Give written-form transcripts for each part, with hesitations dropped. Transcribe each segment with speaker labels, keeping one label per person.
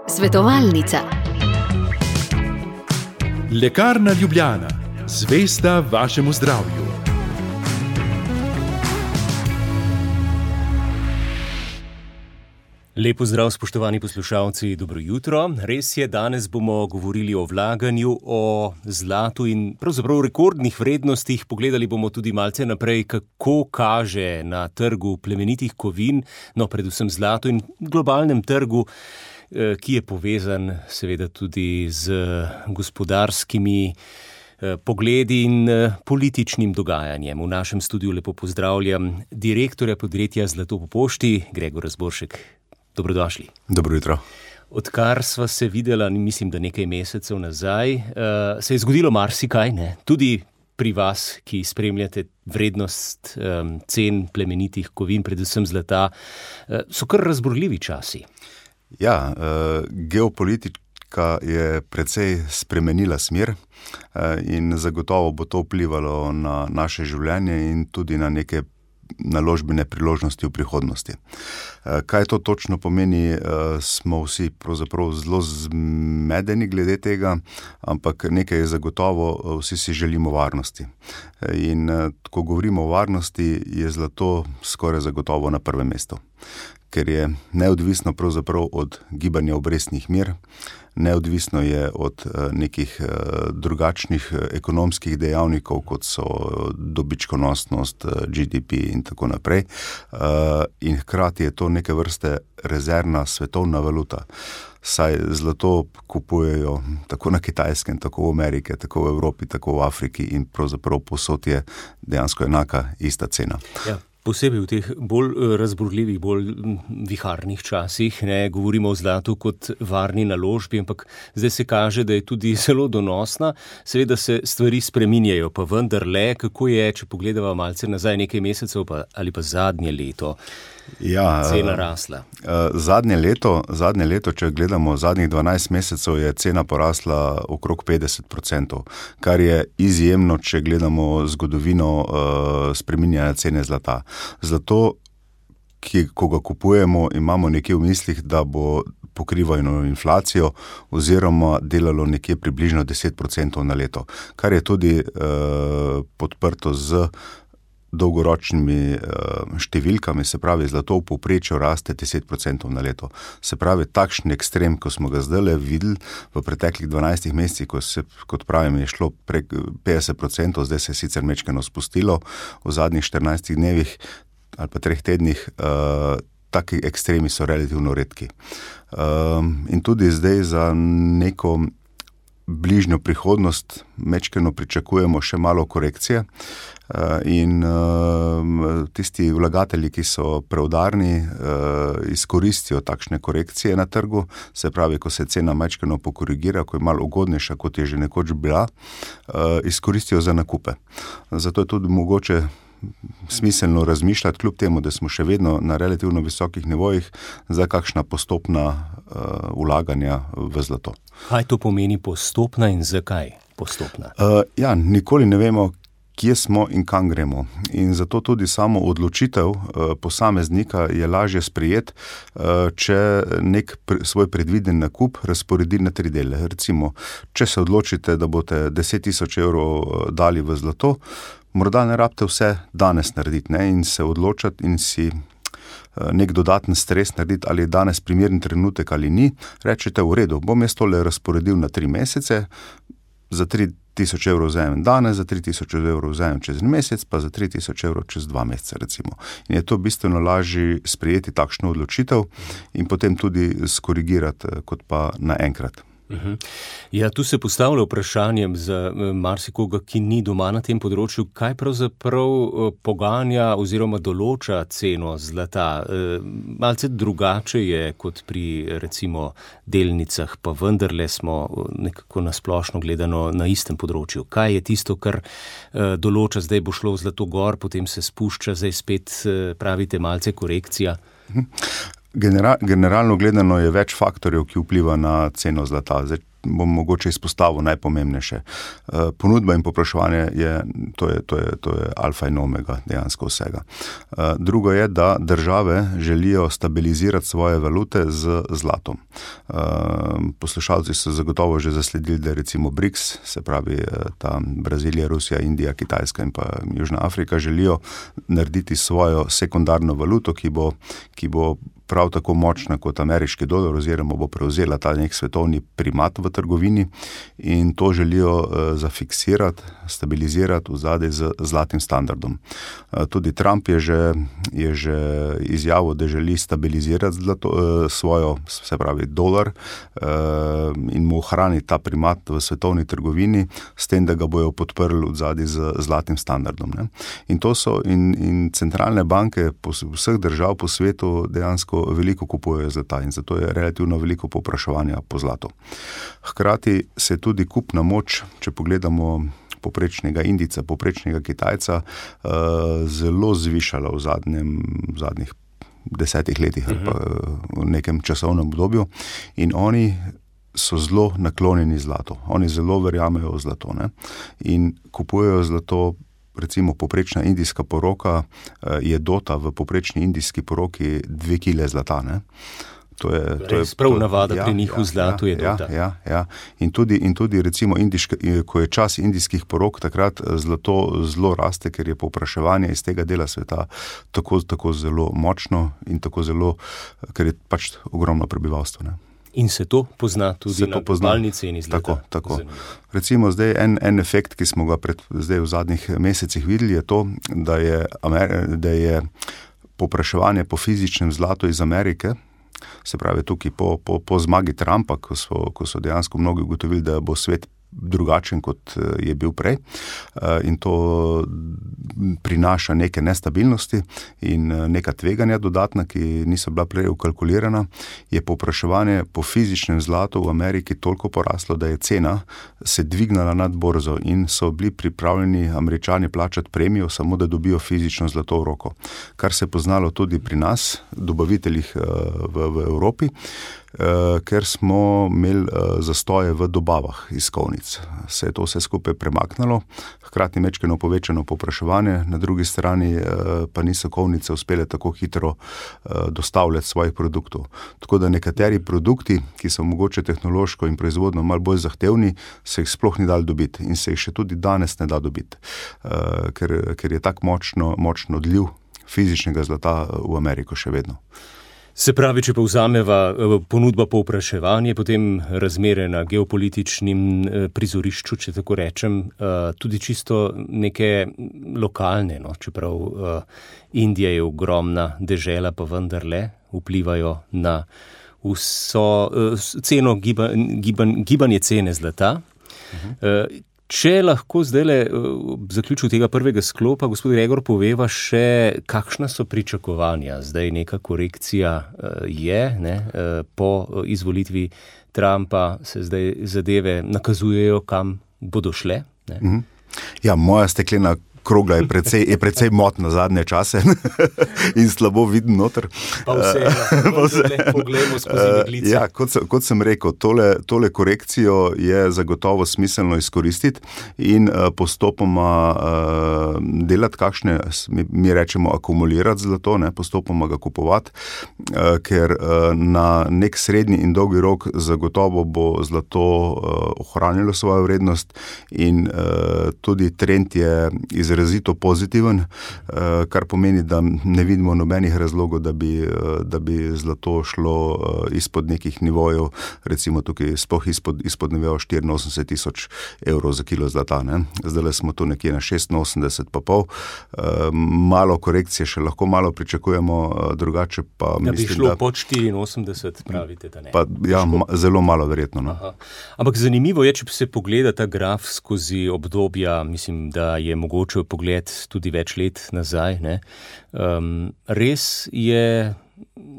Speaker 1: Svetovalnica.
Speaker 2: Lekarna Ljubljana, zvesta vašemu zdravju.
Speaker 3: Lep pozdrav, spoštovani poslušalci, dobro jutro. Res je, danes bomo govorili o vlaganju, o zlatu in pravzaprav rekordnih vrednostih. Pogledali bomo tudi malce naprej, kako kaže na trgu plemenitih kovin, no predvsem zlato in globalnem trgu, ki je povezan seveda tudi z gospodarskimi pogledi in političnim dogajanjem. V našem studiu lepo pozdravljam direktorja podjetja Zlato po pošti, Gregor Razboršek. Dobrodošli.
Speaker 4: Dobro jutro.
Speaker 3: Odkar sva se videla, mislim, da nekaj mesecev nazaj, se je zgodilo marsikaj, ne? Tudi pri vas, ki spremljate vrednost cen plemenitih kovin, predvsem zlata, so kar razburljivi časi.
Speaker 4: Ja, geopolitika je precej spremenila smer in zagotovo bo to vplivalo na naše življenje in tudi na neke naložbene priložnosti v prihodnosti. Kaj to točno pomeni, smo vsi pravzaprav zelo zmedeni glede tega, ampak nekaj je zagotovo, vsi si želimo varnosti. In ko govorimo o varnosti, je zlato skoraj zagotovo na prvem mestu, ker je neodvisno pravzaprav od gibanja obrestnih mer, neodvisno je od nekih drugačnih ekonomskih dejavnikov, kot so dobičkonosnost, GDP in tako naprej. In hkrati je to neke vrste rezervna svetovna valuta. Saj zlato kupujejo tako na Kitajskem, tako v Ameriki, tako v Evropi, tako v Afriki in pravzaprav povsod je dejansko enaka, ista cena.
Speaker 3: Ja. Posebej v teh bolj razburljivih, bolj viharnih časih, ne govorimo o zlatu kot varni naložbi, ampak zdaj se kaže, da je tudi zelo donosna. Seveda se stvari spreminjajo, pa vendarle, kako je, če pogledava malce nazaj nekaj mesecev ali pa zadnje leto, cena rasla.
Speaker 4: Zadnje leto, če gledamo zadnjih 12 mesecev, je cena porasla okrog 50%, kar je izjemno, če gledamo zgodovino spreminjanja cene zlata. Zlato, ko ga kupujemo, imamo nekje v mislih, da bo pokrivalo inflacijo oziroma delalo nekje približno 10% na leto, kar je tudi podprto z dolgoročnimi številkami, se pravi, zlato v povprečju raste 10% na leto. Se pravi, takšen ekstrem, ko smo ga zdaj videli v preteklih 12 mesecih, ko se, kot pravim, je šlo prek 50%, zdaj se je sicer majčkeno spustilo v zadnjih 14 dnevih ali pa 3 tednih, taki ekstremi so relativno redki. In tudi zdaj za neko bližnjo prihodnost majčkeno pričakujemo še malo korekcije in tisti vlagatelji, ki so preudarni, izkoristijo takšne korekcije na trgu, se pravi, ko se cena majčkeno pokorigira, ko je malo ugodnejša, kot je že nekoč bila, izkoristijo za nakupe. Zato je tudi mogoče smiselno razmišljati, kljub temu, da smo še vedno na relativno visokih nivojih, za kakšna postopna vlaganja v zlato.
Speaker 3: Kaj to pomeni postopna in zakaj postopna?
Speaker 4: Nikoli ne vemo, kje smo in kam gremo. In zato tudi samo odločitev posameznika je lažje sprejeti, če nek svoj predviden nakup razporedi na 3 dele. Recimo, če se odločite, da boste 10 000 evrov dali v zlato, morda ne rabite vse danes narediti, ne, in se odločati in si nek dodaten stres narediti, ali je danes primeren trenutek ali ni. Rečete, v redu, bom jaz tole razporedil na 3 mesece, za 3 000 evrov vzamem danes, za 3 000 evrov vzamem čez en mesec, pa za 3 000 evrov čez 2 meseca, recimo. In je to bistveno lažje sprejeti takšno odločitev in potem tudi skorigirati, kot pa naenkrat.
Speaker 3: Ja, tu se postavlja vprašanjem za marsikoga, ki ni doma na tem področju, kaj pravzaprav poganja oziroma določa ceno zlata. Malce drugače je kot pri recimo delnicah, pa vendarle smo nekako nasplošno gledano na istem področju. Kaj je tisto, kar določa, zdaj bo šlo zlato gor, potem se spušča, zdaj spet pravite malce korekcija?
Speaker 4: Generalno gledano je več faktorjev, ki vpliva na ceno zlata. Zdaj bom mogoče izpostavil najpomembnejše. Ponudba in povpraševanje to je alfa in omega dejansko vsega. Drugo je, da države želijo stabilizirati svoje valute z zlatom. Poslušalci so zagotovo že zasledili, da recimo BRICS, se pravi ta Brazilija, Rusija, Indija, Kitajska in pa Južna Afrika, želijo narediti svojo sekundarno valuto, ki bo prav tako močna kot ameriški dolar, oziroma bo prevzela ta nek svetovni primat v trgovini in to želijo zafiksirati, stabilizirati v zadej z zlatim standardom. Tudi Trump je že izjavil, da želi stabilizirati svojo, se pravi dolar in mu ohraniti ta primat v svetovni trgovini, s tem, da ga bojo podprli v zadej z zlatim standardom. Ne? In to so in centralne banke vseh držav po svetu dejansko veliko kupujejo zlata in zato je relativno veliko povpraševanja po zlatu. Hkrati se tudi kupna moč, če pogledamo poprečnega Indijca, poprečnega Kitajca, zelo zvišala v zadnjih 10 letih ali pa v nekem časovnem obdobju in oni so zelo naklonjeni zlatu. Oni zelo verjamejo v zlato, ne? In kupujejo zlato. Recimo poprečna indijska poroka je dota v poprečni indijski poroki 2 kile zlata. Ne? To je
Speaker 3: prav navada pri njih v zlatu je dota.
Speaker 4: Ja. In tudi recimo ko je čas indijskih porok, takrat zlato zelo raste, ker je povpraševanje iz tega dela sveta tako zelo močno in tako zelo, ker je pač ogromno prebivalstvo. Ne?
Speaker 3: In se to pozna tudi na globalni ceni zlata.
Speaker 4: Tako. Recimo zdaj en efekt, ki smo ga zdaj v zadnjih mesecih videli, je to, da je povpraševanje po fizičnem zlatu iz Amerike, se pravi tukaj po zmagi Trumpa, ko so dejansko mnogi ugotovili, da bo svet drugačen, kot je bil prej in to prinaša neke nestabilnosti in neka tveganja dodatna, ki niso bila prej ukalkulirana, je povpraševanje po fizičnem zlatu v Ameriki toliko poraslo, da je cena se dvignala nad borzo in so bili pripravljeni Američani plačati premijo, samo da dobijo fizično zlato v roko. Kar se je poznalo tudi pri nas, dobaviteljih v Evropi, ker smo imeli zastoje v dobavah iz kovnic. Se je to vse skupaj premaknilo, hkrati mečkeno povečano povpraševanje, na drugi strani pa niso kovnice uspele tako hitro dostavljati svojih produktov. Tako da nekateri produkti, ki so mogoče tehnološko in proizvodno malo bolj zahtevni, se jih sploh ni dalo dobiti in se jih še tudi danes ne da dobiti, ker je tak močno odliv fizičnega zlata v Ameriko še vedno.
Speaker 3: Se pravi, če povzameva ponudba povpraševanje, potem razmere na geopolitičnem prizorišču, če tako rečem, tudi čisto neke lokalne, no, čeprav Indija je ogromna dežela, pa vendarle vplivajo na vso ceno, gibanje cene zlata. Če lahko zdajle v zaključku tega prvega sklopa, gospod Gregor, poveva še, kakšna so pričakovanja. Zdaj neka korekcija je, ne, po izvolitvi Trumpa se zdaj zadeve nakazujejo, kam bodo šle. Ne?
Speaker 4: Ja, moja steklena krogla je precej motna zadnje čase in slabo vidim noter.
Speaker 3: Pa vseeno, pogledamo skozi meglice.
Speaker 4: Ja, kot sem rekel, tole korekcijo je zagotovo smiselno izkoristiti in postopoma delati kakšne, mi rečemo akumulirati zlato, ne, postopoma ga kupovati, ker na nek srednji in dolgi rok zagotovo bo zlato ohranilo svojo vrednost in tudi trend je izrazito pozitiven, kar pomeni, da ne vidimo nobenih razlogov, da bi zlato šlo izpod nekih nivojev, recimo tukaj sploh izpod nivojev 84,000 evrov za kilo zlata. Ne? Zdaj smo tu nekje na 86,5. Malo korekcije še lahko malo pričakujemo, drugače pa
Speaker 3: da
Speaker 4: mislim,
Speaker 3: bi šlo pod 84, pravite, da ne.
Speaker 4: Pa, ja, zelo malo verjetno. No?
Speaker 3: Ampak zanimivo je, če se pogleda ta graf skozi obdobja, mislim, da je mogoče pogled tudi več let nazaj, ne? Res je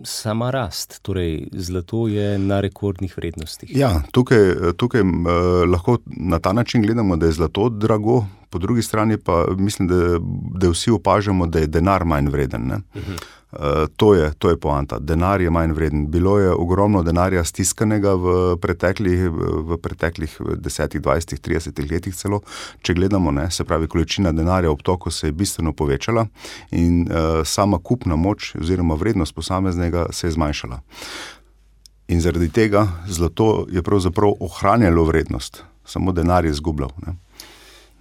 Speaker 3: sama rast, torej zlato je na rekordnih vrednostih.
Speaker 4: Ja, tukaj lahko na ta način gledamo, da je zlato drago, Po drugi strani pa mislim, da vsi opažamo, da je denar manj vreden. Ne? To je poanta. Denar je manj vreden. Bilo je ogromno denarja stiskanega v preteklih 10, 20, 30 letih celo. Če gledamo, ne, se pravi, količina denarja v obtoku se je bistveno povečala in sama kupna moč oziroma vrednost posameznega se je zmanjšala. In zaradi tega zlato je pravzaprav ohranjalo vrednost. Samo denar je izgubljal. Ne?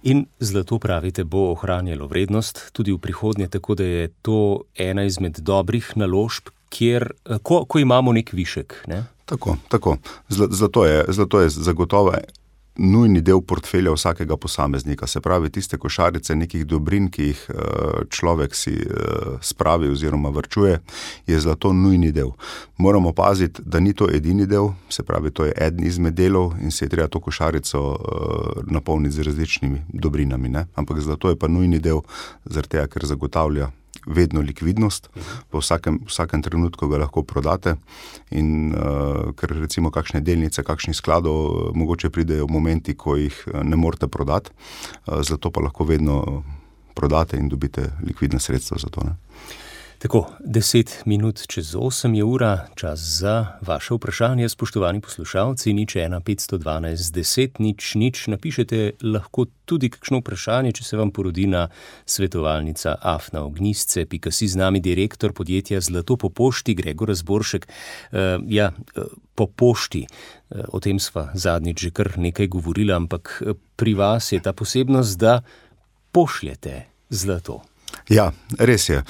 Speaker 3: In zlato, pravite, bo ohranjalo vrednost tudi v prihodnje, tako da je to ena izmed dobrih naložb, kjer, ko imamo nek višek. Ne?
Speaker 4: Tako. Zlato je zagotovo nujni del portfelja vsakega posameznika. Se pravi, tiste košarice nekih dobrin, ki jih človek si spravi oziroma varčuje, je zlato nujni del. Moramo paziti, da ni to edini del, se pravi, to je eden izmed delov in se je treba to košarico napolniti z različnimi dobrinami. Ne? Ampak zlato je pa nujni del, zaradi tega, ker zagotavlja vedno likvidnost, v vsakem trenutku ga lahko prodate in ker recimo kakšne delnice, kakšnih skladov mogoče pridejo v momenti, ko jih ne morete prodati, zato pa lahko vedno prodate in dobite likvidne sredstva za to. Ne?
Speaker 3: Tako, 10 minut čez 8 je ura, čas za vaše vprašanje, spoštovani poslušalci, 01 512 10 0 napišete lahko tudi kakšno vprašanje, če se vam porodi na svetovalnica@ognisce.si. Z nami direktor podjetja Zlato po pošti, Gregor Razboršek. Po pošti, o tem sva zadnjič že kar nekaj govorila, ampak pri vas je ta posebnost, da pošljete zlato.
Speaker 4: Ja, res je.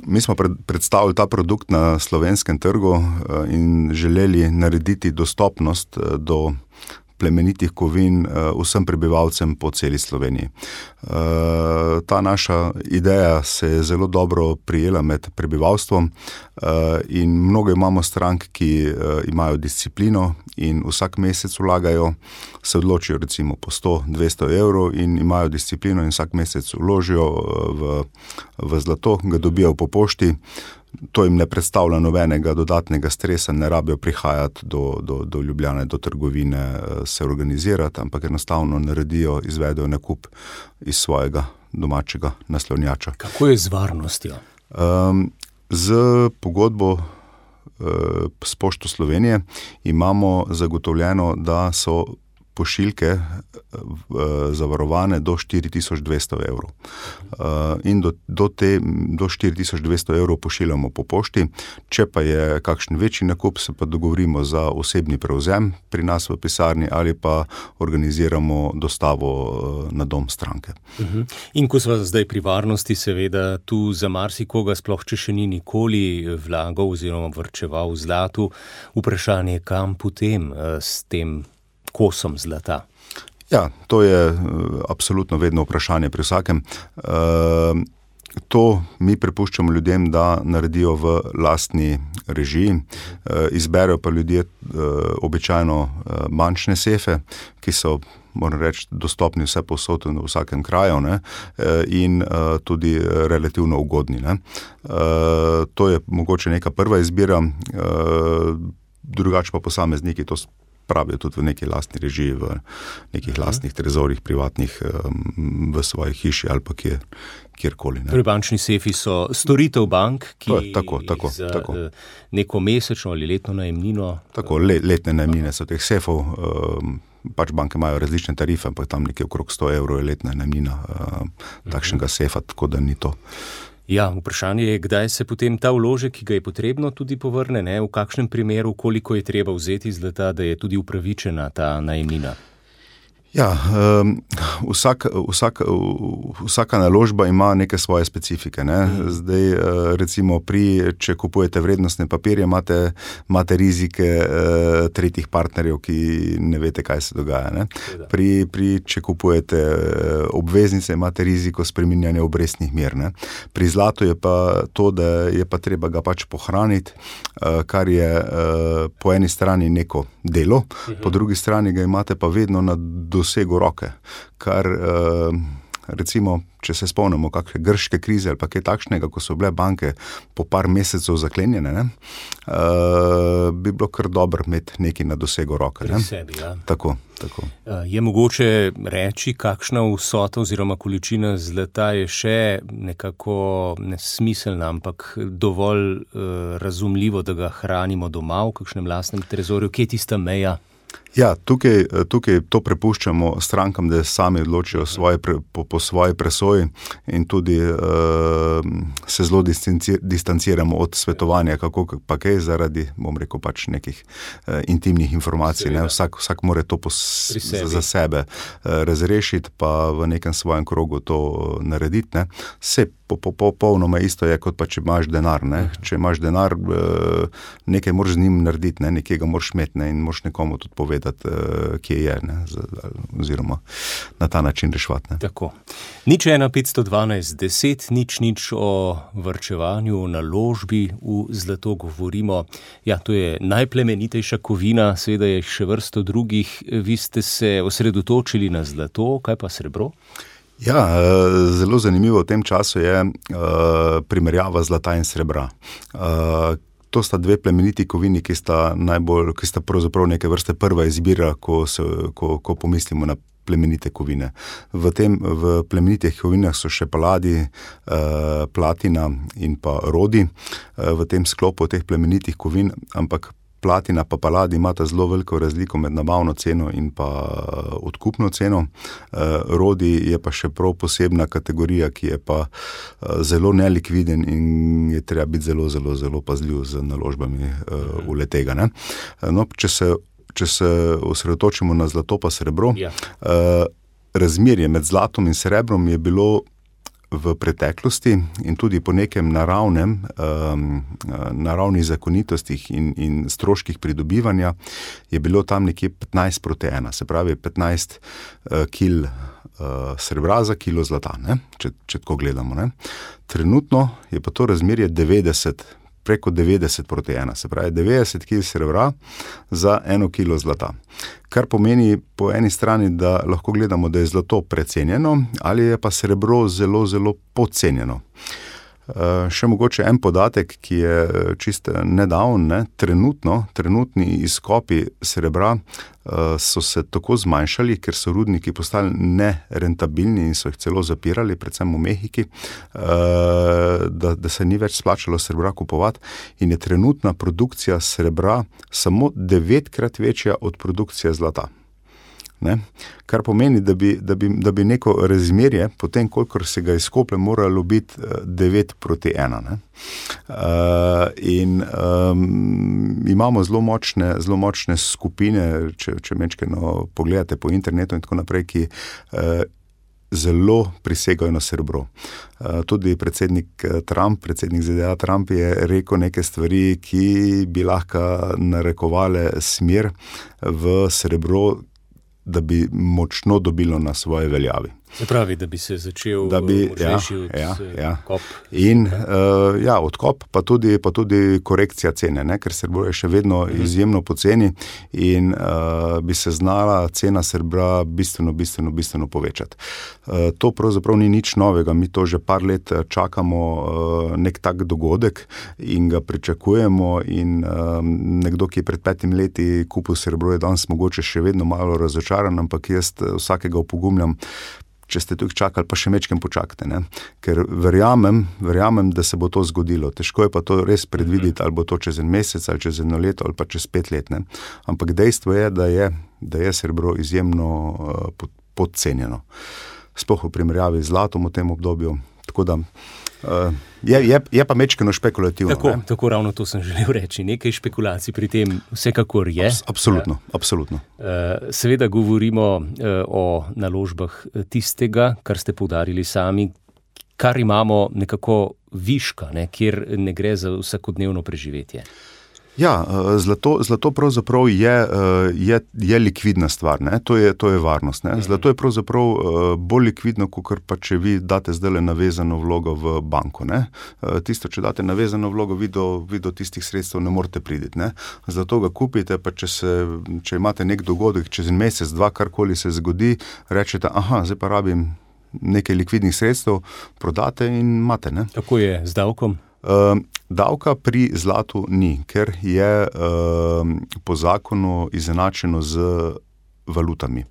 Speaker 4: Mi smo predstavili ta produkt na slovenskem trgu in želeli narediti dostopnost do plemenitih kovin vsem prebivalcem po celi Sloveniji. Ta naša ideja se je zelo dobro prijela med prebivalstvom in mnogo imamo strank, ki imajo disciplino in vsak mesec vlagajo, se odločijo recimo po 100-200 evrov in imajo disciplino in vsak mesec vložijo v zlato, ga dobijo po pošti. To jim ne predstavlja nobenega dodatnega stresa, ne rabijo prihajati do Ljubljane, do trgovine, se organizirati, ampak enostavno naredijo, izvedejo nakup iz svojega domačega naslonjača.
Speaker 3: Kako je z varnostjo?
Speaker 4: Z pogodbo s Pošto Slovenije imamo zagotovljeno, da so pošiljke zavarovane do 4200 evrov. In do 4200 evrov pošiljamo po pošti. Če pa je kakšen večji nakup, se pa dogovorimo za osebni prevzem pri nas v pisarni ali pa organiziramo dostavo na dom stranke.
Speaker 3: In ko sva zdaj pri varnosti, seveda tu za marsikoga, sploh če še ni nikoli vlagal oziroma varčeval v zlatu, vprašanje, kam potem s tem kosom zlata?
Speaker 4: Ja, to je absolutno vedno vprašanje pri vsakem. To mi prepuščamo ljudem, da naredijo v lastni režiji. Izberejo pa ljudje običajno bančne sefe, ki so, moram reči, dostopni vse povsod v vsakem kraju, ne? In tudi relativno ugodni. Ne? To je mogoče neka prva izbira, drugače pa posamezniki to pravijo tudi v neki lastni režiji, v nekih lastnih trezorih, privatnih, v svoji hiši ali pa kjerkoli.
Speaker 3: Torej bančni sefi so storitev bank, ki
Speaker 4: tako.
Speaker 3: neko mesečno ali letno najemnino.
Speaker 4: Tako, letne najemnine so teh sefov, pač banke imajo različne tarife, ampak tam nekje okrog 100 evrov je letna najemnina takšnega sefa, tako da ni to.
Speaker 3: Ja, vprašanje je, kdaj se potem ta vložek, ki ga je potrebno, tudi povrne, ne? V kakšnem primeru, koliko je treba vzeti zlata, da je tudi upravičena ta najemnina?
Speaker 4: Ja, vsaka naložba ima neke svoje specifike. Ne? Zdaj, recimo, če kupujete vrednostne papirje, imate rizike tretjih partnerjev, ki ne veste, kaj se dogaja. Ne? Če kupujete obveznice, imate riziko spreminjanja obrestnih mer. Ne? Pri zlatu je pa to, da je pa treba ga pač pohraniti, kar je po eni strani neko delo, po drugi strani ga imate pa vedno na dosegu roke, kar recimo, če se spomnimo kakšne grške krize ali pa kaj takšnega, ko so bile banke po par mesecev zaklenjene, ne, bi bilo kar dobro imeti nekaj na dosegu roke.
Speaker 3: Pri sebi, ja.
Speaker 4: Tako.
Speaker 3: Je mogoče reči, kakšna vsota oziroma količina zlata je še nekako nesmiselna, ampak dovolj razumljivo, da ga hranimo doma v kakšnem lastnem trezorju? Kje je tista meja?
Speaker 4: Ja, tukaj to prepuščamo strankam, da sami odločijo po svoji presoji in tudi se zelo distanciramo od svetovanja, kako pa kaj zaradi, bom rekel, pač nekih intimnih informacij. Ne? Vsak mora to za sebe razrešiti, pa v nekem svojem krogu to narediti. Ne? Se popolnoma isto je, kot pa če imaš denar. Ne? Če imaš denar, nekaj moraš z njim narediti, ne? Nekaj ga moraš imeti, ne? In moraš nekomu tudi povedati, kje je, ne? Oziroma na ta način reševati. Ne?
Speaker 3: Tako. 01512 10 0 o varčevanju, o naložbi v zlato govorimo. Ja, to je najplemenitejša kovina, seveda je še vrsto drugih. Vi ste se osredotočili na zlato, kaj pa srebro?
Speaker 4: Ja, zelo zanimivo v tem času je primerjava zlata in srebra. To sta dve plemeniti kovini, ki sta pravzaprav neke vrste prva izbira, ko pomislimo na plemenite kovine. V plemenitih kovinah so še paladi, platina in pa rodi v tem sklopu teh plemenitih kovin, ampak platina pa paladi imata zelo veliko razliko med nabavno ceno in pa odkupno ceno. Rodi je pa še prav posebna kategorija, ki je pa zelo nelikviden in je treba biti zelo, zelo, zelo pazljiv z naložbami v le-tega. Ne? No, če se osredotočimo na zlato pa srebro, razmerje med zlatom in srebrom je bilo v preteklosti in tudi po nekem naravnih zakonitostih in stroških pridobivanja je bilo tam nekje 15:1, se pravi 15 kil srebra za kilo zlata, ne? Če tako gledamo. Ne? Trenutno je pa to razmerje preko 90:1, se pravi 90 kil srebra za 1 kilo zlata. Kar pomeni po eni strani, da lahko gledamo, da je zlato precenjeno ali je pa srebro zelo, zelo podcenjeno. Še mogoče en podatek, ki je čisto nedavn, ne? Trenutni izkopi srebra so se tako zmanjšali, ker so rudniki postali nerentabilni in so jih celo zapirali, predvsem v Mehiki, da se ni več splačalo srebra kupovati in je trenutna produkcija srebra samo 9-krat večja od produkcije zlata. Ne? Kar pomeni, da bi neko razmerje, potem kolikor se ga izkoplje, moralo biti 9:1. Ne? Imamo zelo močne skupine, če mečkeno pogledate po internetu in tako naprej, ki zelo prisegajo na srebro. Tudi predsednik ZDA Trump je rekel neke stvari, ki bi lahko narekovale smer v srebro, da bi močno dobilo na svoje veljavi.
Speaker 3: Se pravi, da bi se začel močnejši odkop.
Speaker 4: In odkop, pa tudi korekcija cene, ne? Ker srebro je še vedno izjemno poceni in bi se znala cena srebra bistveno povečati. To pravzaprav ni nič novega, mi to že par let čakamo nek tak dogodek in ga pričakujemo in nekdo, ki je pred 5 leti kupil srebro, je danes mogoče še vedno malo razočaran, ampak jaz vsakega opogumljam, če ste tukaj čakali, pa še mečkem počakajte, ne? Ker verjamem, da se bo to zgodilo. Težko je pa to res predvideti, ali bo to čez en mesec, ali čez 1 leto, ali pa čez 5 let. Ne? Ampak dejstvo je, da je srebro izjemno podcenjeno. Sploh v primerjavi z zlatom v tem obdobju. Tako da je pa mečkeno špekulativno.
Speaker 3: Tako ravno to sem želel reči. Nekaj špekulacij pri tem vsekakor je.
Speaker 4: Absolutno.
Speaker 3: Seveda govorimo o naložbah tistega, kar ste poudarili sami, kar imamo nekako viška, ne, kjer ne gre za vsakodnevno preživetje.
Speaker 4: Ja, zlato pravzaprav je likvidna stvar, ne? To je varnost. Ne? Zlato je pravzaprav bolj likvidno, kot pa če vi date zdajle navezano vlogo v banko. Ne? Tisto, če date navezano vlogo, vi do tistih sredstev ne morete priti. Ne? Zlato ga kupite, pa če imate nek dogodek, čez en mesec, 2, karkoli se zgodi, rečete, zdaj pa rabim nekaj likvidnih sredstev, prodate in imate. Ne?
Speaker 3: Kako je z davkom?
Speaker 4: Davka pri zlatu ni, ker je po zakonu izenačeno z valutami.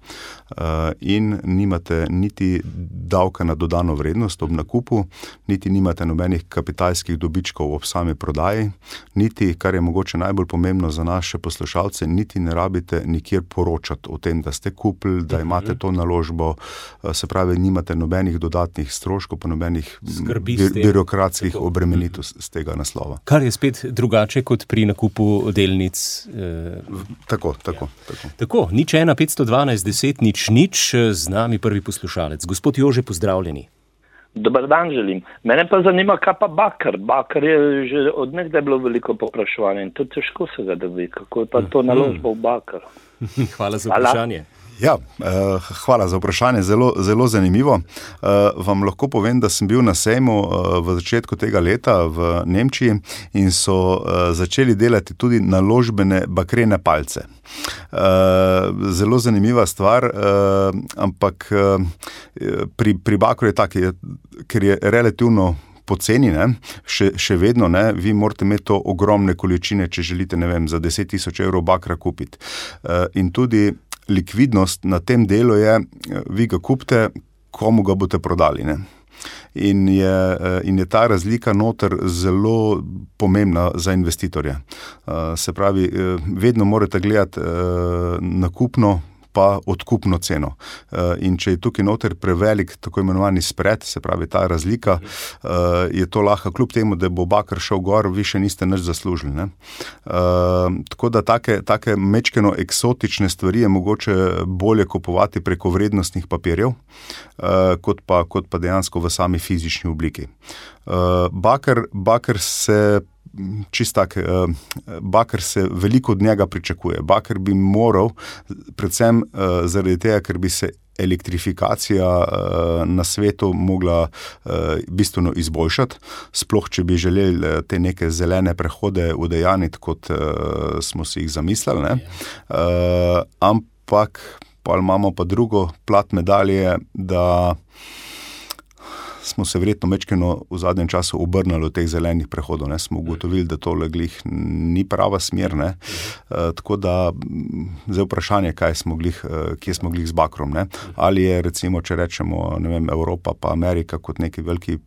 Speaker 4: In nimate niti davka na dodano vrednost ob nakupu, niti nimate nobenih kapitalskih dobičkov ob sami prodaji, niti, kar je mogoče najbolj pomembno za naše poslušalce, niti ne rabite nikjer poročati o tem, da ste kupili, da imate to naložbo, se pravi, nimate nobenih dodatnih stroškov, pa nobenih birokratskih obremenitev z tega naslova.
Speaker 3: Kar je spet drugače kot pri nakupu delnic.
Speaker 4: Tako.
Speaker 3: Tako, 01512 10 nič, z nami prvi poslušalec. Gospod Jože, pozdravljeni.
Speaker 1: Dobar dan želim. Mene pa zanima, kaj pa bakar. Bakar je že od nekdaj bilo veliko popraševanje in to težko se ga dobi. Kako je pa to naložba v bakar?
Speaker 3: Hvala za vprašanje.
Speaker 4: Ja, hvala za vprašanje, zelo zanimivo. Vam lahko povem, da sem bil na sejmu v začetku tega leta v Nemčiji in so začeli delati tudi naložbene bakrene palce. Zelo zanimiva stvar, ampak pri bakru je tak, ker je relativno poceni, še vedno, vi morate imeti to ogromne količine, če želite, za 10,000 evrov bakra kupiti. In tudi likvidnost na tem delu je, vi ga kupite, komu ga boste prodali. In je ta razlika noter zelo pomembna za investitorje. Se pravi, vedno morate gledati nakupno pa odkupno ceno. In če je tukaj noter prevelik tako imenovani spread, se pravi ta razlika, je to lahko kljub temu, da bo bakar šel gor, vi še niste nič zaslužili. Tako da take mečkeno eksotične stvari je mogoče bolje kupovati preko vrednostnih papirjev, kot pa dejansko v sami fizični obliki. Bakar se bakar se veliko od njega pričakuje. Bakar bi moral, predvsem zaradi tega, ker bi se elektrifikacija na svetu mogla bistveno izboljšati, sploh če bi želeli te neke zelene prehode udejaniti, kot smo si jih zamislili. Ampak pa imamo pa drugo plat medalje, da smo se verjetno mečkeno v zadnjem času obrnili od teh zelenih prehodov. Smo ugotovili, da tole glih ni prava smer. Tako da zdaj vprašanje, kje smo glih z bakrom. Ali je recimo, če rečemo, Evropa pa Amerika kot neki veliki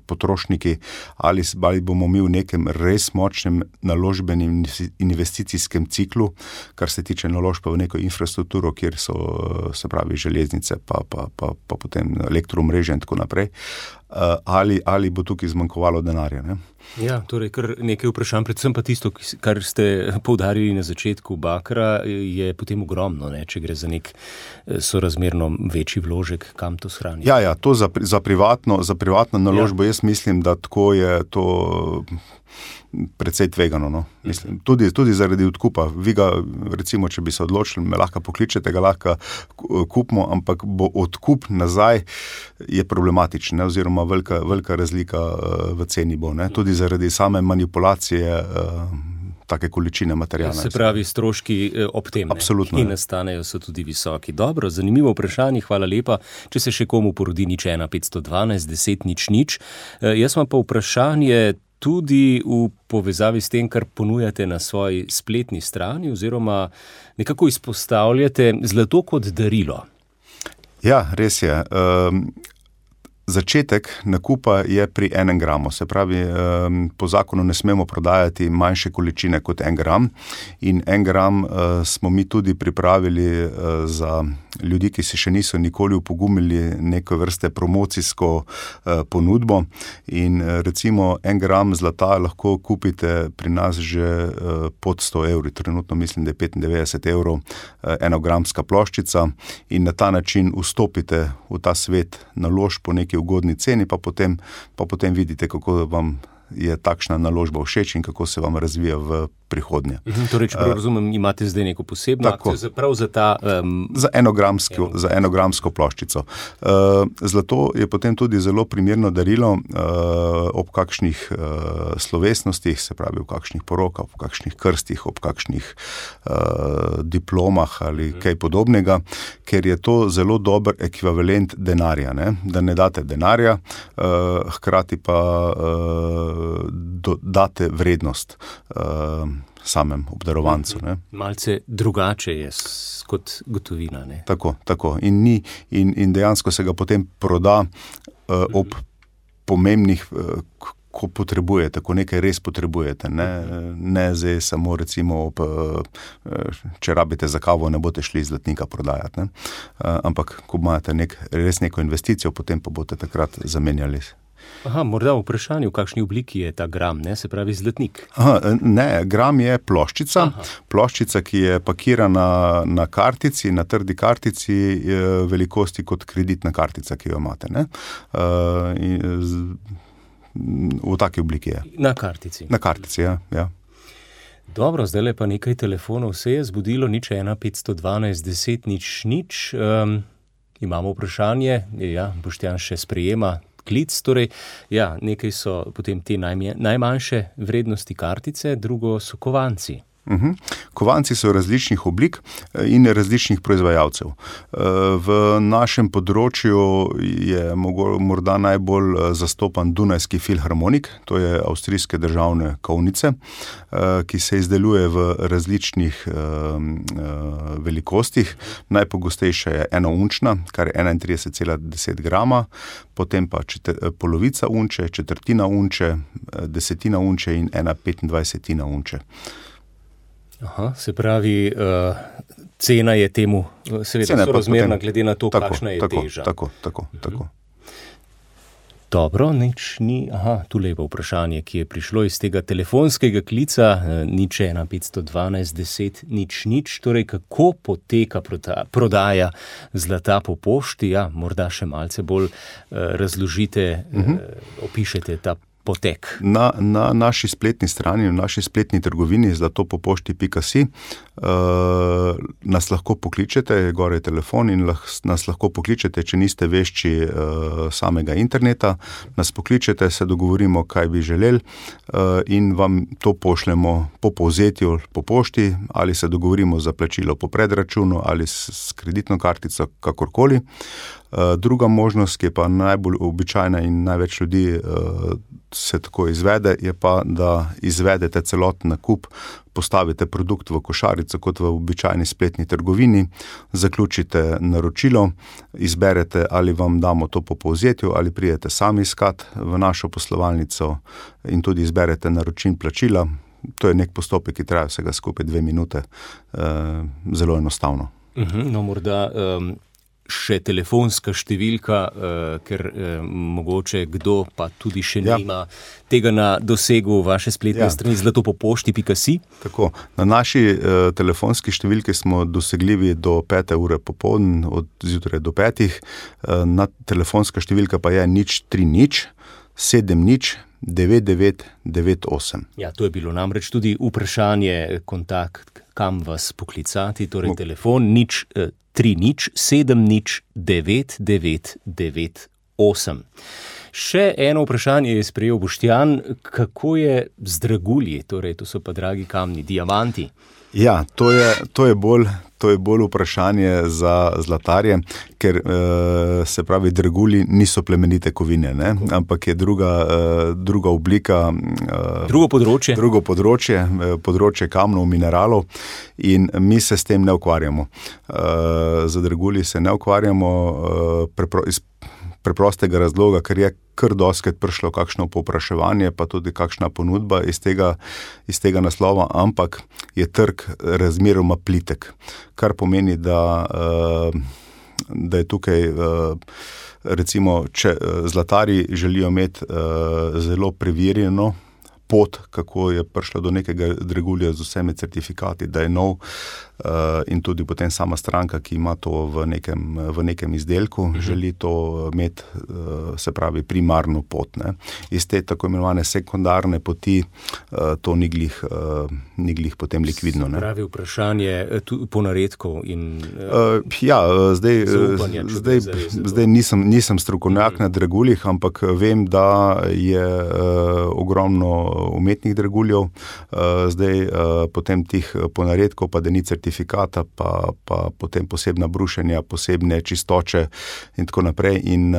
Speaker 4: potrošniki, ali bomo mi v nekem res močnem naložbenem investicijskem ciklu, kar se tiče naložb v neko infrastrukturo, kjer so, se pravi, železnice pa potem elektroomrežje in tako naprej. Ali bo tukaj zmanjkovalo denarja.
Speaker 3: Ja, torej kar nekaj vprašanj, predvsem pa tisto, kar ste poudarili na začetku bakra, je potem ogromno, če gre za nek sorazmerno večji vložek, kam to shraniti. Ja,
Speaker 4: to za privatno naložbo, jaz mislim, da tako je to precej tvegano. Mislim, tudi zaradi odkupa. Vi ga, recimo, če bi se odločili, me lahko pokličete, ga lahko kupimo, ampak bo odkup nazaj je problematičen, oziroma velika razlika v ceni bo. Tudi zaradi same manipulacije take količine materijala.
Speaker 3: Se pravi, stroški ob tem, ki nastanejo, so tudi visoki. Dobro, zanimivo vprašanje, hvala lepa. Če se še komu porodi 01512 10 nič. Jaz imam pa vprašanje tudi v povezavi s tem, kar ponujate na svoji spletni strani, oziroma nekako izpostavljate zlato kot darilo.
Speaker 4: Ja, res je. Začetek nakupa je pri 1 gramu, se pravi, po zakonu ne smemo prodajati manjše količine kot 1 gram in 1 gram smo mi tudi pripravili za ljudi, ki se še niso nikoli upogumili neko vrste promocijsko ponudbo in recimo 1 gram zlata lahko kupite pri nas že pod 100 evri, trenutno mislim, da je 95 evrov 1-gramska ploščica in na ta način vstopite v ta svet naložb po neki ugodni ceni, pa potem vidite, kako vam je takšna naložba všeč in kako se vam razvija v prihodnje.
Speaker 3: Torej, če prav razumem, imate zdaj neko posebno akcijo prav za ta...
Speaker 4: Za enogramsko ploščico. Zlato je potem tudi zelo primerno darilo ob kakšnih slovesnostih, se pravi v kakšnih porokah, ob kakšnih krstih, ob kakšnih diplomah ali kaj podobnega, ker je to zelo dober ekvivalent denarja, ne? Da ne date denarja, hkrati pa date vrednost samem obdarovancu. Ne?
Speaker 3: Malce drugače je kot gotovina. Ne?
Speaker 4: Tako. In dejansko se ga potem proda ob pomembnih, ko potrebujete, ko nekaj res potrebujete. Ne zdaj samo recimo, če rabite za kavo, ne boste šli zlatnika prodajati. Ne? Ampak ko imate res neko investicijo, potem pa boste takrat zamenjali.
Speaker 3: Morda v vprašanju, v kakšni obliki je ta gram, ne? Se pravi zlatnik.
Speaker 4: Ne, gram je ploščica. Ploščica, ki je pakirana na kartici, na trdi kartici velikosti kot kreditna kartica, ki jo imate. Ne? V taki obliki je.
Speaker 3: Na kartici.
Speaker 4: Na kartici, ja.
Speaker 3: Dobro, zdaj pa nekaj telefonov se je zbudilo, 01 512 10 0. Imamo vprašanje, Boštjan še sprejema klic, torej, nekaj so potem te najmanjše vrednosti kartice, drugo so kovanci.
Speaker 4: Kovanci so različnih oblik in različnih proizvajalcev. V našem področju je morda najbolj zastopan Dunajski filharmonik, to je avstrijske državne kovnice, ki se izdeluje v različnih velikostih. Najpogostejša je enounčna, kar je 31,10 grama, potem pa polovica unče, četrtina unče, desetina unče in 1,25 unče.
Speaker 3: Se pravi, cena je temu seveda sorazmerna glede na to, kakšna je teža.
Speaker 4: Tako.
Speaker 3: Dobro, nič ni. Tule je pa vprašanje, ki je prišlo iz tega telefonskega klica, 01 512 10 0. Torej, kako poteka prodaja zlata po pošti? Morda še malce bolj razložite, opišete ta potek.
Speaker 4: Na naši spletni strani, v naši spletni trgovini zlatopopošti.si nas lahko pokličete, gore je telefon in nas lahko pokličete, če niste vešči samega interneta. Nas pokličete, se dogovorimo, kaj bi želeli in vam to pošljemo po povzetju po pošti ali se dogovorimo za plačilo po predračunu ali s kreditno kartico, kakorkoli. Druga možnost, ki je pa najbolj običajna in največ ljudi se tako izvede, je pa, da izvedete celoten nakup, postavite produkt v košarico kot v običajni spletni trgovini, zaključite naročilo, izberete, ali vam damo to po povzetju ali pridete sami iskat v našo poslovalnico in tudi izberete naročin plačila. To je nek postopek, ki traja vsega skupaj 2 minute. Zelo enostavno.
Speaker 3: Morda še telefonska številka, ker mogoče kdo pa tudi še nima tega na dosegu vaše spletne strani zlatopopošti.si.
Speaker 4: Tako, na naši telefonski številki smo dosegljivi do 5. ure popoldne, od zjutraj do 5. Telefonska številka pa je 030 70 9998.
Speaker 3: To je bilo namreč tudi vprašanje, kontakt, kam vas poklicati, torej telefon 030 70 9998. Še eno vprašanje je sprejel Boštjan, kako je z dragulji, torej to so pa dragi kamni, diamanti.
Speaker 4: To je bolj vprašanje za zlatarje, ker se pravi, dragulji niso plemenite kovine, ne? Ampak je druga oblika, drugo področje kamnov, mineralov in mi se s tem ne ukvarjamo. Za dragulji se ne ukvarjamo iz preprostega razloga, ker je kar dostikrat prišlo kakšno povpraševanje, pa tudi kakšna ponudba iz tega naslova, ampak je trg razmeroma plitek, kar pomeni, da je tukaj, recimo, če zlatarji želijo imeti zelo preverjeno pot, kako je prišla do nekega dragulja z vsemi certifikati, da je nov, in tudi potem sama stranka, ki ima to v nekem izdelku, želi to imeti, se pravi, primarno pot. Ne. Iz te tako imenovane sekundarne poti to ni glih potem likvidno. Ne.
Speaker 3: Pravi vprašanje ponaredkov in
Speaker 4: zdaj nisem strokovnjak na draguljih, ampak vem, da je ogromno umetnih draguljev, zdaj potem tih ponaredkov, pa da ni certifikata, pa potem posebna brušenja, posebne čistoče in tako naprej. In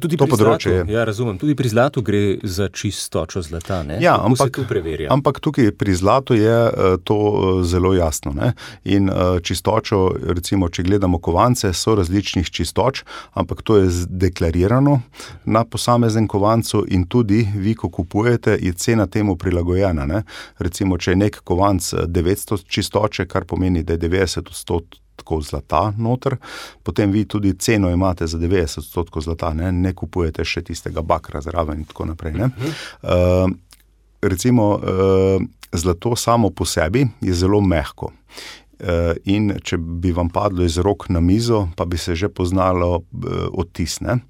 Speaker 3: tudi to področje je. Ja, razumem. Tudi pri zlatu gre za čistočo zlata, ne?
Speaker 4: Ja,
Speaker 3: ampak
Speaker 4: tukaj pri zlatu je to zelo jasno, ne? In čistočo, recimo, če gledamo kovance, so različnih čistoč, ampak to je deklarirano na posamezen kovancu in tudi vi, ko kupujete, je cena temu prilagojena, ne? Recimo, če je nek kovanc 900 čistoče, kar pomeni, da je 90% zlata noter, potem vi tudi ceno imate za 90% zlata, ne kupujete še tistega bakra zraven in tako naprej. Ne? Recimo, zlato samo po sebi je zelo mehko. In če bi vam padlo iz rok na mizo, pa bi se že poznalo odtis, ne?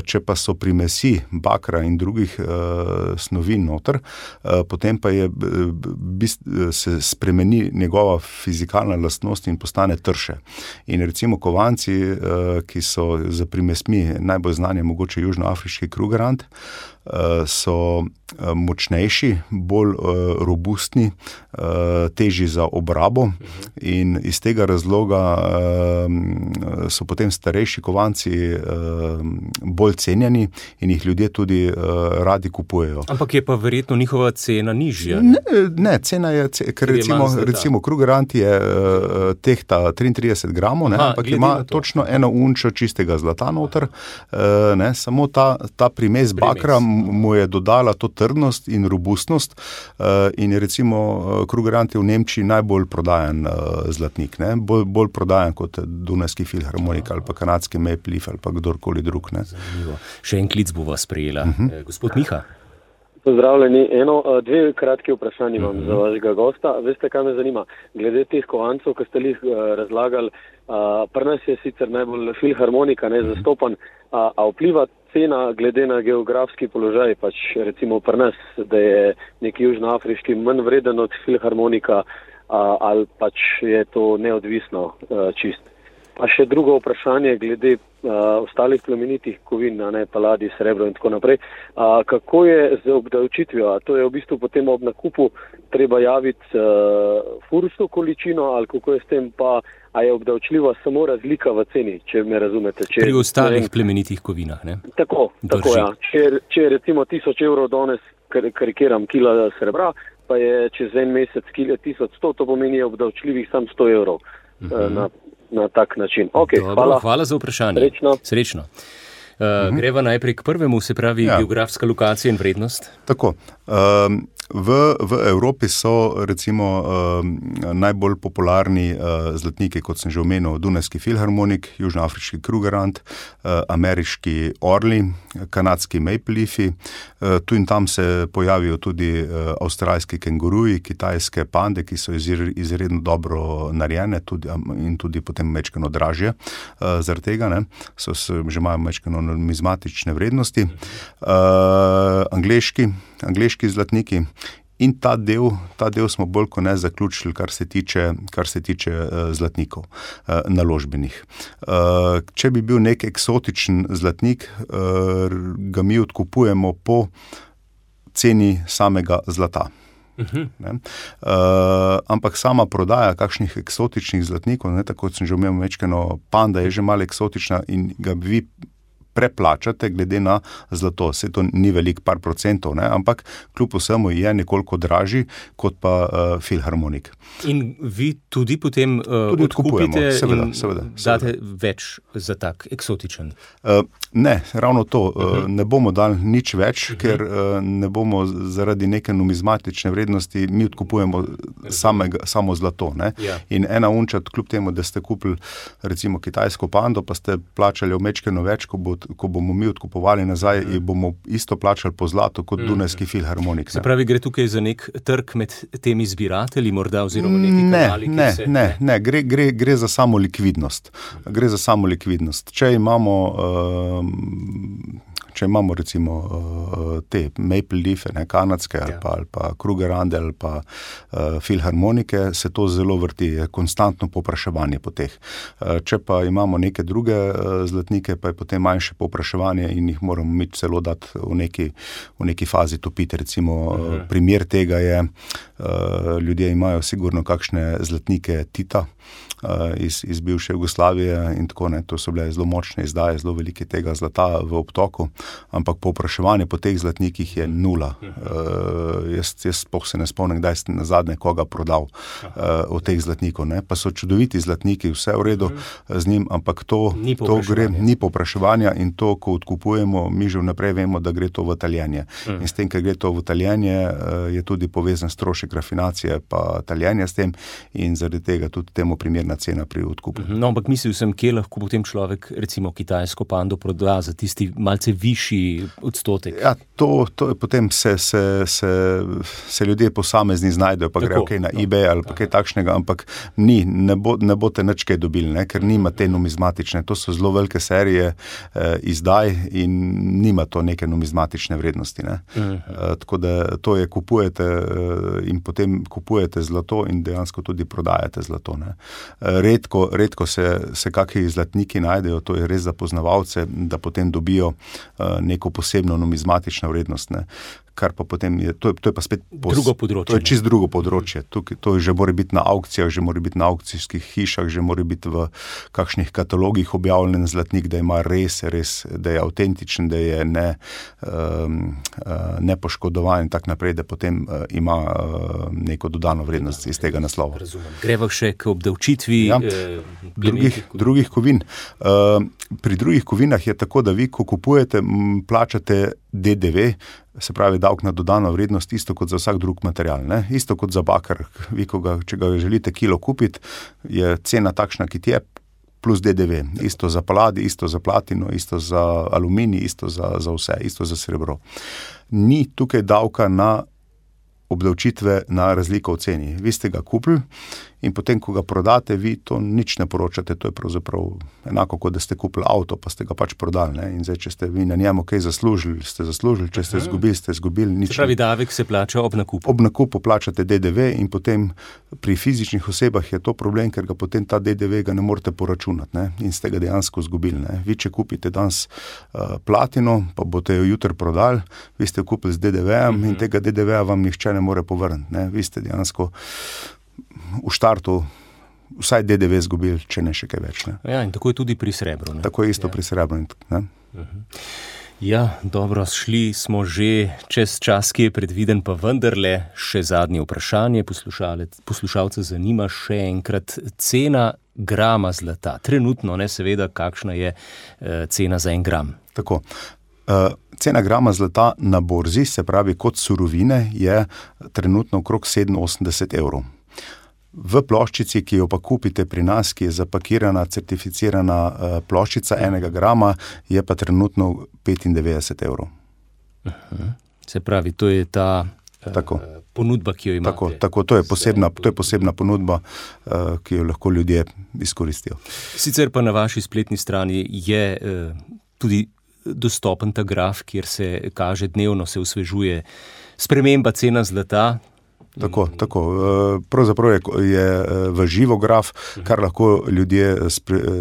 Speaker 4: Če pa so primesi bakra in drugih snovi noter, potem pa se spremeni njegova fizikalna lastnost in postane trše. In recimo kovanci, ki so za primesmi najbolj znani, mogoče južnoafriški krugerrand, so močnejši, bolj robustni, težji za obrabo in iz tega razloga so potem starejši kovanci bolj cenjeni in jih ljudje tudi radi kupujejo.
Speaker 3: Ampak je pa verjetno njihova cena nižja?
Speaker 4: Ne, cena je, ker recimo krugerrand je tehta 33 gramov, ampak ima točno eno unčo čistega zlata noter, ne, samo ta primes bakra mu je dodala to trdnost in robustnost in recimo krugerrand je v Nemčiji najbolj prodajan zlatnik, ne? Bolj prodajan kot Dunajski filharmonik ali pa kanadski Maple Leaf ali pa kdorkoli drug. Ne?
Speaker 3: Zanimivo. Še en klic bova sprejela. Gospod Miha.
Speaker 5: Pozdravljeni. Dve kratki vprašanji vam za vašega gosta. Veste, kaj me zanima? Glede teh kovancov, ki ste jih razlagali, pri nas je sicer najbolj filharmonika zastopan, a vpliva cena glede na geografski položaj, pač recimo pri nas, da je nek južnoafriški manj vreden od filharmonika, ali pač je to neodvisno čist. Pa še drugo vprašanje glede ostalih plemenitih kovin, paladij, srebro in tako naprej. Kako je z obdavčitvijo? To je v bistvu potem ob nakupu treba javiti fursto količino, ali kako je s tem, pa a je obdavčljiva samo razlika v ceni, če me razumete?
Speaker 3: Pri ostalih plemenitih kovinah, ne?
Speaker 5: Tako ja. Če je recimo 1000 evrov danes, karikiram, kila srebra, pa je čez en mesec 1100, to pomeni obdavčljivih sam 100 evrov na tak način. Okay,
Speaker 3: hvala za vprašanje. Srečno. Greva najprej k prvemu, se pravi geografska lokacija in vrednost.
Speaker 4: Tako. V Evropi so recimo najbolj popularni zlatniki, kot sem že omenil, Dunajski filharmonik, južnoafriški krugerrand, ameriški orli, kanadski Maple Leafi, tu in tam se pojavijo tudi avstralski kenguruji, kitajske pande, ki so izredno dobro narejene in tudi potem mečkano dražje zaradi tega, ne, že imajo mečkano numizmatične vrednosti, angleški zlatniki. In ta del smo bolj kot ne zaključili, kar se tiče zlatnikov naložbenih. Če bi bil nek eksotičen zlatnik, ga mi odkupujemo po ceni samega zlata. Ampak sama prodaja kakšnih eksotičnih zlatnikov, tako kot sem že omenil, mečkano panda je že malo eksotična in ga vi preplačate glede na zlato. Se to ni velik par procentov, ne? Ampak kljub vsemu je nekoliko dražji kot pa filharmonik.
Speaker 3: In vi tudi potem odkupite
Speaker 4: seveda.
Speaker 3: Date več za tak eksotičen?
Speaker 4: Ne, ravno to. Ne bomo dali nič več, ker ne bomo zaradi neke numizmatične vrednosti, mi odkupujemo samo zlato. Ne? Ja. In ena unča, kljub temu, da ste kupili recimo kitajsko pando, pa ste plačali omečkeno več, ko bo ko bomo mi odkupovali nazaj, bomo isto plačali po zlatu kot Dunajski filharmonik.
Speaker 3: Se pravi, gre tukaj za nek trg med temi zbiratelji morda oziroma neki kanali, ki se...
Speaker 4: Ne, gre za samo likvidnost. Gre za samo likvidnost. Če imamo recimo te Maple Leafe, kanadske ali pa Krugerrande ali pa filharmonike, se to zelo vrti, je konstantno povpraševanje po teh. Če pa imamo neke druge zlatnike, pa je potem manjše povpraševanje in jih moramo mi celo dati v neki fazi topiti. Recimo primer tega je, ljudje imajo sigurno kakšne zlatnike Tita, iz bivše Jugoslavije in tako, ne, to so bile zelo močne izdaje, zelo velike tega zlata v obtoku, ampak povpraševanje po teh zlatnikih je nula. Jaz sploh se ne spomnim, kdaj ste nazadnje koga prodal od teh zlatnikov, ne, pa so čudoviti zlatniki, vse v redu z njim, ampak to ni povpraševanja in to, ko odkupujemo, mi že vnaprej vemo, da gre to v taljenje. In s tem, ker gre to v taljenje, je tudi povezan strošek rafinacije pa taljenja s tem in zaradi tega tudi temu primerna cena pri odkupu.
Speaker 3: No, ampak mislil sem, kje lahko potem človek recimo kitajsko pando proda za tisti malce višji odstotek.
Speaker 4: Ja, to je potem se ljudje posamezni znajdejo, pa grejo na eBay ali pa kaj takšnega, ampak ne boste nič kaj dobili, ne, ker nima te numizmatične, to so zelo velike serije izdaj in nima to neke numizmatične vrednosti, ne. Tako da to je kupujete in potem kupujete zlato in dejansko tudi prodajate zlato, ne. Redko se kakšni zlatniki najdejo, to je res za poznavalce, da potem dobijo neko posebno numizmatično vrednost, ne. Kar pa potem je, to je pa spet
Speaker 3: drugo področje.
Speaker 4: To je čisto drugo področje. To že mora biti na aukcijah, že mora biti na aukcijskih hišah, že mora biti v kakšnih katalogih objavljen zlatnik, da ima res, da je avtentičen, da je nepoškodovan in tak naprej, da potem ima neko dodano vrednost iz tega naslova.
Speaker 3: Razumem. Greva še k obdavčitvi
Speaker 4: drugih kovin. Pri drugih kovinah je tako, da vi, ko kupujete, plačate DDV, se pravi davek na dodano vrednost, isto kot za vsak drug material, ne? Isto kot za bakar. Vi, če ga želite kilo kupiti, je cena takšna, ki je, plus DDV. Isto za paladi, isto za platino, isto za aluminij, isto za vse, isto za srebro. Ni tukaj davka na obdavčitve na razliko v ceni. Vi ste ga kupili in potem, ko ga prodate, vi to nič ne poročate. To je pravzaprav enako, kot da ste kupili avto, pa ste ga pač prodali, ne? In zdaj, če ste vi na njemu kaj zaslužili, ste zaslužili, če ste izgubili, nič.
Speaker 3: Se pravi, davek se plača ob nakupu.
Speaker 4: Ob nakupu plačate DDV in potem pri fizičnih osebah je to problem, ker ga potem ta DDV ga ne morete poračunati, ne? In ste ga dejansko izgubili, ne? Vi, če kupite danes platino, pa boste jo jutri prodali, vi ste jo kupili z DDV-em in tega DDV-a vam nihče ne more povrniti, ne? Vi ste dejansko v štartu vsaj DDV izgubili, če ne še kaj več, ne?
Speaker 3: Ja, in tako je tudi pri srebru, ne?
Speaker 4: Tako je isto pri srebru, ne?
Speaker 3: Ja, dobro, šli smo že čez čas, ki je predviden, pa vendarle še zadnje vprašanje. Poslušalce zanima še enkrat cena grama zlata. Trenutno, ne, seveda, kakšna je cena za 1 gram.
Speaker 4: Tako. Cena grama zlata na borzi, se pravi kot surovine, je trenutno okrog 87 evrov. V ploščici, ki jo pa kupite pri nas, ki je zapakirana, certificirana ploščica 1 grama, je pa trenutno 95 evrov.
Speaker 3: Se pravi, to je ta ponudba, ki jo imate.
Speaker 4: Tako, to je posebna ponudba, ki jo lahko ljudje izkoristijo.
Speaker 3: Sicer pa na vaši spletni strani je tudi dostopen ta graf, kjer se kaže dnevno, se osvežuje sprememba cena zlata.
Speaker 4: Tako. Pravzaprav je v živo graf, kar lahko ljudje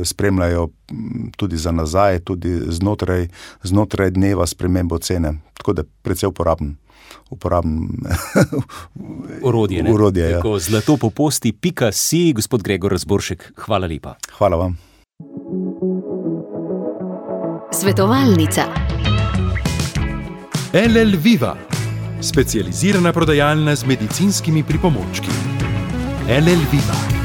Speaker 4: spremljajo tudi za nazaj, tudi znotraj dneva spremembo cene. Tako da precej uporaben
Speaker 3: orodje.
Speaker 4: Ja.
Speaker 3: Tako, zlatopoposti.si, gospod Gregor Razboršek, hvala lepa.
Speaker 4: Hvala vam.
Speaker 6: Svetovalnica.
Speaker 2: LL Viva, specializirana prodajalna z medicinskimi pripomočki. LL Viva.